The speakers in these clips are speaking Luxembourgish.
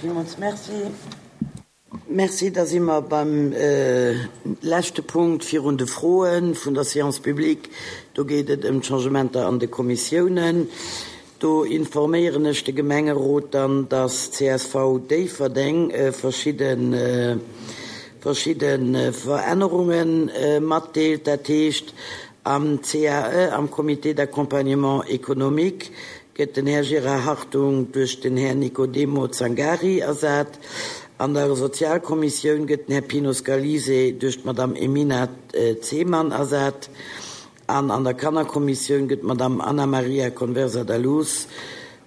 Villmools Merci. Merci. Da si mer beim leschte Punkt virun de Froe vun der Séance publique. Do geet et ëm d'Changementer an de Kommissiounen. Do informéieren ech de Gemengerot dann, dass csv Déifferdeng verschidde verschidde Verännerunge matdeelt. Dat heescht, am CAE, am Comité d'accompagnement économique, gëtt den Här Gérard Hartung duerch den Här Nicodemo Zangari ersat. An der Sozialkommissioun gëtt den Här Pino Scalise duerch d'Madame Emina Zeman ersat. An an der Kannerkommissioun gëtt d'Madame Anna Maria Conversa da Luz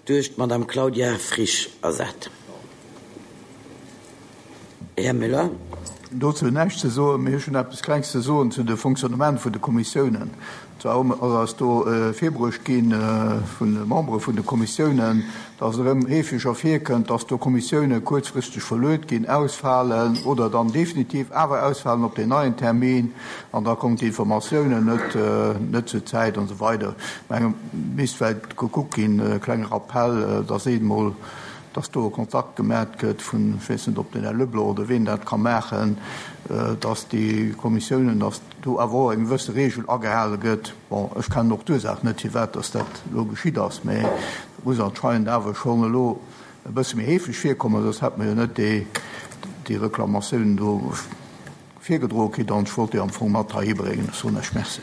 duerch d'Madame Claudia Frisch ersat. Här Müller. Dozou näischt ze soen, mee ech hunn eppes Klengs ze soen zu de Fonctionnement vun de Kommissiounen. Zwar ass eis do virbruecht gi vun de Membere vun de Kommissiounen, dass et erëm heefeger virkënnt, dass do Kommissioune kuerzfristeg verluet ginn, ausfalen oder dann definitiv awer ausfalen op deen neien Termin an da kommen d'Informatiounen net net zur Zäit an esou weider. Ech menge misst vläicht gekuckt ginn, e klenge Rappell, dass een emol, dass do e Kontakt gemat gëtt vun, ech weess net, ob den Här Leblanc oder ween dat ka maachen, dass déi Kommissiounen, dass do awer och eng gewësse Regel agehale gëtt. Bon, ech kennen och d'Ursaach net, firwat dass dat elo geschitt ass, mä et muss anscheinend awer schonn elo e bësse méi heefeg virkommen, soss hätte mer jo net déi, déi Reklamatiounen do virgedroe kritt. An ech wollt déi am Fong mat heihi bréngen. Ech soen Iech Merci.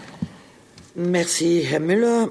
Merci, Här Müller.